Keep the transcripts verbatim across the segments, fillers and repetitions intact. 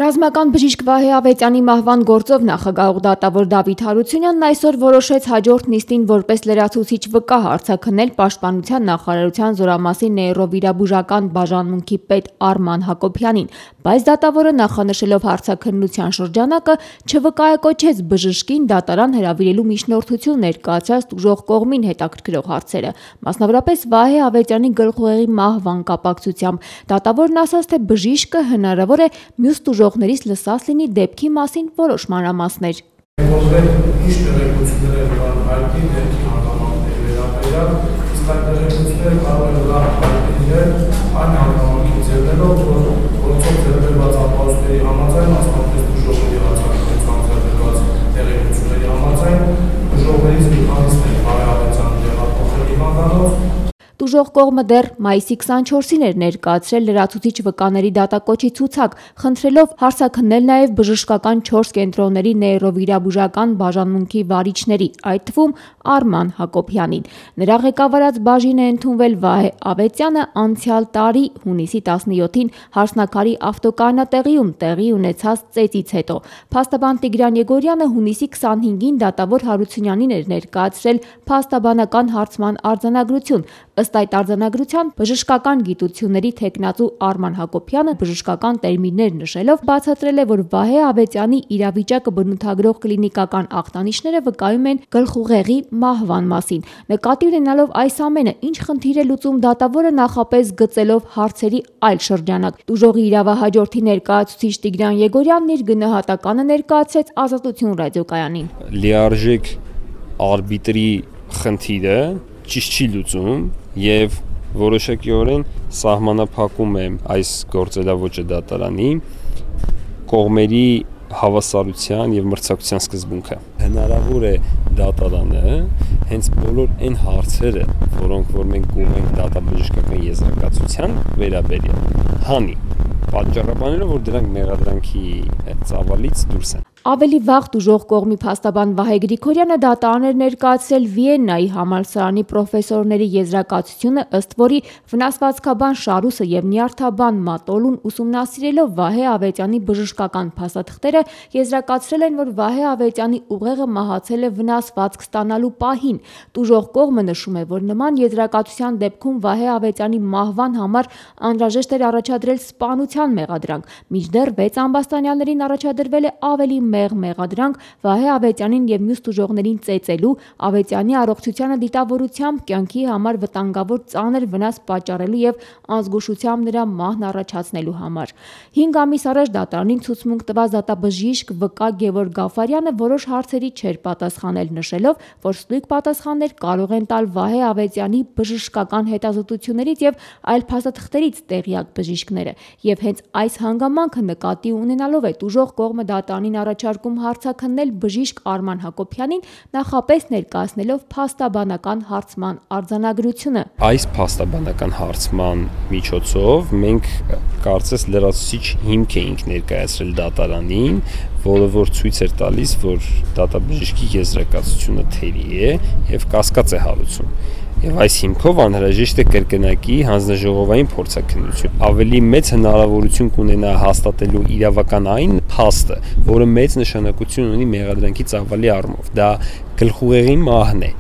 Ռազմական բժիշկ Վահե Ավետյանի մահվան գործով նախագահող դատավոր Դավիթ Հարությունյանն այսօր որոշեց հաջորդ նիստին որպես լրացուցիչ վկա հարցաքննել Պաշտպանության նախարարության Զորամասի նեյրովիրաբուժական բաժանմունքի պետ Արման Հակոբյանին, բայց դատավորը նախանշելով հարցաքննության շրջանակը չվկայակոչեց բժշկին դատարան հրավիրելու միջնորդություն ներկայացրած տուժող կողմին հետաքրքրող հարցերը, մասնավորապես Վահե Ավետյանի գլխուղեղի մահվան կապակցությամբ։ Դատավորն ասաց, թե բժիշկը հնարավոր է մյուս տուժողներից լսած լինի դեպքի մասին որոշ մանրամասներ։ Ինչ տեղեկություններ կան հայտնի դեպքի հանգամանքների վերաբերյալ, իսկ այդ տեղեկությունները կարող են լավ հայտնիներ այն հանգամանքի ձևերով, որ գործով ձևերված ապահովությունների համաձայն, մասնավորապես տուժողների հացակցության ձևերված տեղեկությունների համաձայն, տուժողներից մի քանիսն են Վահե Ավետյանը տեղափոխել հիվանդանոց։ Տուժող կողմը դեռ մայիսի քսանչորսին էր ներկայացրել լրացուցիչ վկաների դատակոչի ցուցակ, խնդրելով հարցաքննել նաև բժշկական չորս կենտրոնների նեյրովիրաբուժական բաժանմունքի վարիչների, այդ թվում Արման Հակոբյանին։ Նրա ղեկավարած բաժին է ընդունվել Վահե Ավետյանը անցյալ տարի հունիսի տասնյոթին Հարսնաքարի ավտոկայանատեղիում տեղի ունեցած ծեծից հետո։ Փաստաբան Տիգրան Եգորյանը հունիսի քսանհինգին դատավոր Հարությունյանին էր ներկայացրել փաստաբանական հարցման արձանագրություն։ Ըստ այդ արձանագրության բժշկական գիտությունների թեկնածու Արման Հակոբյանը բժշկական տերմիններ նշելով բացատրել է, որ Վահե Ավետյանի իրավիճակը բնութագրող կլինիկական ախտանիշները վկայում են գլխուղեղի մահվան մասին։ Նկատի ունենալով այս ամենը, ինչ խնդիր է լուծում դատավորը նախապես գծելով հարցերի այլ շրջանակ։ Տուժողի իրավահաջորդի ներկայացուցիչ Տիգրան Եգորյանն իր գնահատականը ներկայացրեց Ազատություն ռադիոկայանին։ Լիարժեք արբիտրի խնդիրը ճիշտ չի լուծում եւ որոշակիորեն սահմանափակում է այս գործելավոճը դատարանի կողմերի հավասարության եւ մրցակցության սկզբունքը։ Հնարավոր է դատարանը հենց բոլոր այն հարցերը, որոնք որ մենք կուղենք դատաբժշկական եզրակացության վերաբերյալ, հանի պատճառաբանելով, որ դրանք մեղադրանքի ծավալից դուրս են։ Ավելի վաղ տուժող կողմի փաստաբան Վահե Գրիգորյանը դատարան էր ներկայացրել Վիեննայի համալսարանի պրոֆեսորների եզրակացությունը, ըստ որի վնասվածքաբան Շարուսը եւ նյարդաբան Մատոլուն ուսումնասիրելով Վահե Ավետյանի բժշկական փաստաթղթերը եզրակացրել են, որ Վահե Ավետյանի ուղեղը մահացել է վնասվածք ստանալու պահին։ Տուժող կողմը նշում է, որ նման եզրակացության դեպքում Վահե Ավետյանի մահվան համար անհրաժեշտ էր առաջադրել սպանության մեղադրանք, մինչդեռ վեց ամբաստանյալներին առաջադրվել է ավելի մեղ մեղադրանք Վահե Ավետյանին եւ մյուս տուժողներին ծեծելու, Ավետյանի առողջությանը դիտավորությամբ կյանքի համար վտանգավոր ծանր վնաս պատճառելու եւ անզգուշությամբ նրա մահն առաջացնելու համար։ հինգ ամիս առաջ դատարանին ցուցմունք տված դատաբժիշկ վկա Գևորգ Գաֆարյանը որոշ հարցերի չէր պատասխանել, նշելով, որ ստույգ պատասխաններ կարող են տալ Վահե Ավետյանի բժշկական հետազոտություններից եւ այլ փաստաթղթերից տեղյակ բժիշկները, եւ հենց այս հանգամանքը նկատի ունենալով է տուժող կողմը դատարանին առաջարկում հարցաքննել բժիշկ Արման Հակոբյանին, նախապես ներկայացնելով փաստաբանական հարցման արձանագրությունը։ Այս փաստաբանական հարցման միջոցով մենք կարծես լրացուցիչ հիմք էինք ներկայացրել դատարանին, որը որ ցույց էր տալիս, որ դատաբժշկի եզրակացությունը թերի է եւ կասկած է հարուցում։ Եվ այս հիմքով անհրաժեշտ է կրկնակի հանձնաժողովային փորձաքննություն։ Ավելի մեծ հնարավորություն կունենա հաստատելու իրավական այն փաստը, որը մեծ նշանակություն ունի մեղադրանքի ծավալի առումով։ Դա գլխուղեղի մահն է։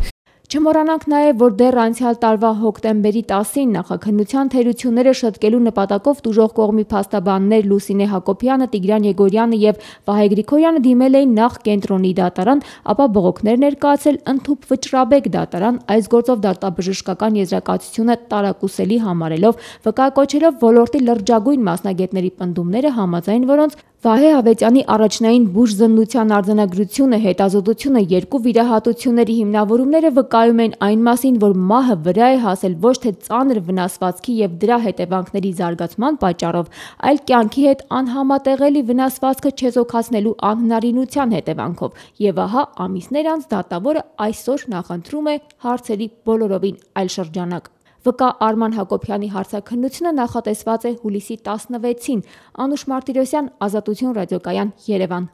Չմոռանանք նաև, որ դեռ անցյալ տարվա հոկտեմբերի տասին նախաքննության թերությունները շտկելու նպատակով տուժող կողմի փաստաբաններ Լուսինե Հակոբյանը, Տիգրան Եգորյանը եւ Վահե Գրիգորյանը դիմել էին նախ կենտրոնի դատարան, ապա բողոքներ ներկայացել ընդհուպ Վճռաբեկ դատարան, այս գործով դատաբժշկական եզրակացությունը տարակուսելի համարելով, վկայակոչելով ոլորտի լրջագույն մասնագետների պնդումները, համաձայն որոնց Վահե Ավետյանի առաջնային բուժզննության արձանագրությունը, հետազոտությունը, երկու վիրահատությունների հիմնավորումները վկայում են այն մասին, որ մահը վրա է հասել ոչ թե ծանր վնասվածքի եւ դրա հետևանքների զարգացման պատճառով, այլ կյանքի հետ անհամատեղելի վնասվածքը չեզոքացնելու անհնարինության հետևանքով։ Եվ ահա ամիսներ անց դատավորը այսօր նախընտրում է հարցերի բոլորովին այլ շրջանակ։ Վկա Արման Հակոբյանի հարցաքննությունը նախատեսված է հուլիսի տասնվեցին։ Անուշ Մարտիրոսյան, Ազատություն ռադիոկայան, Երևան։